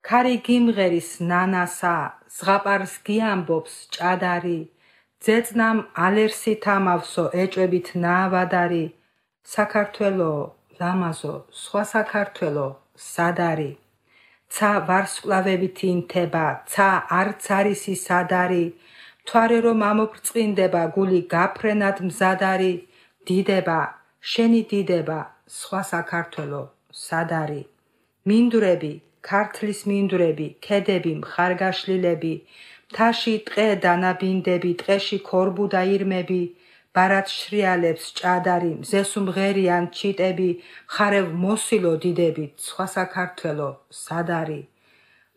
ქარი გიმღერის ნანასა, ზღაპარს გიამბობს ჭადარი, ძეწნამ ალერსით ამავსო ეჭვებით ნაავადარი, საქართველო, ლამაზო, სხვა საქართველო, სად არის? ცა ვარსკვლავებით ინთება, ცა არც არის ის ადარი, მთვარე რომ ამოფრწყინდება, გული გაფრენად მზად არის, დიდება, შენი დიდება, სხვა საქართველო, სად არის? მინდვრები, ქართლის მინდვრები, ქედები, მხარგაშლილები, მთაში ტყე დანაბინდები, ტყეში ქორბუდა ირმები, ბარად შრიალებს ჭადარი, მზეს უმღერიან ჩიტები, მხარევ მოსილო დიდებით, სხვა საქართველო, სად არის?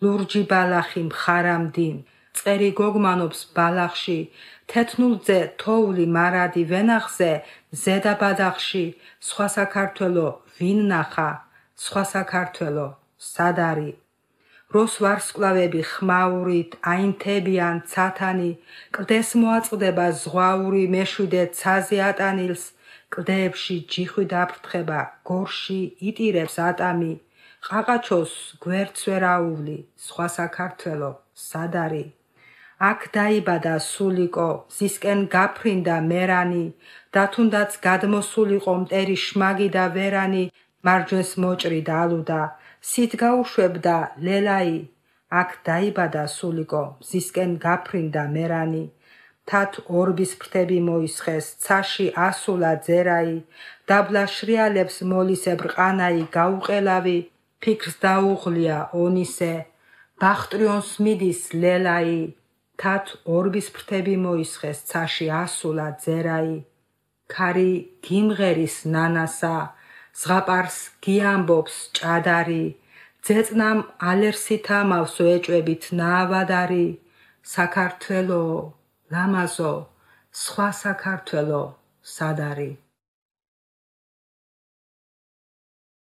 ლურჯი ბალახი მხარამდი, წერი გოგმანობს ბალახში, თეთნულძე თოვლი მარადი ვენახზე, ზედა ბადახში, სხვა საქართველო, ვინ ნახა? სხვა საქართველო, სად არის? როს ვარსკვლავები ხმაურით აინთებიან ცათანი, კლდეს მოაწყდება ზღვაური მეშვიდე ცაზე ატანილს, კლდეებში ჯიხვი დაფრთხება, გორში იტირებს ატამი, ყაყაჩოს გვერდს ვერ აუვლი, სხვა საქართველო, სად არის? აქ დაიბადა სულიკო, მზისკენ გაფრინდა მერანი, და თუნდაც გადმოსულიყო მტერი შმაგი და ვერანი, მარჯვენს მოჭრი დაალუდა, სით გაუშვებდა ლელაი, აქ დაიბადა სულიკო, მზისკენ გაფრინდა მერანი, თათ ორბის ფრთები მოისხეს, ცაში ასულა ძერაი, დაბლა შრიალებს მოლისებრ ყანაი გაუყელავი, ფიქრს დაუღლია ონისე, ბახტრიონს მიდის ლელაი, თათ ორბის ფრთები მოისხეს, ცაში ასულა ძერაი, ქარი გიმღერის ნანასა, ზღაპარს გიამბობს ჭადარი, ძეწნამ ალერსით ამავსო ეჭვებით ნაავადარი, საქართველო, ლამაზო, სხვა საქართველო, სად არის?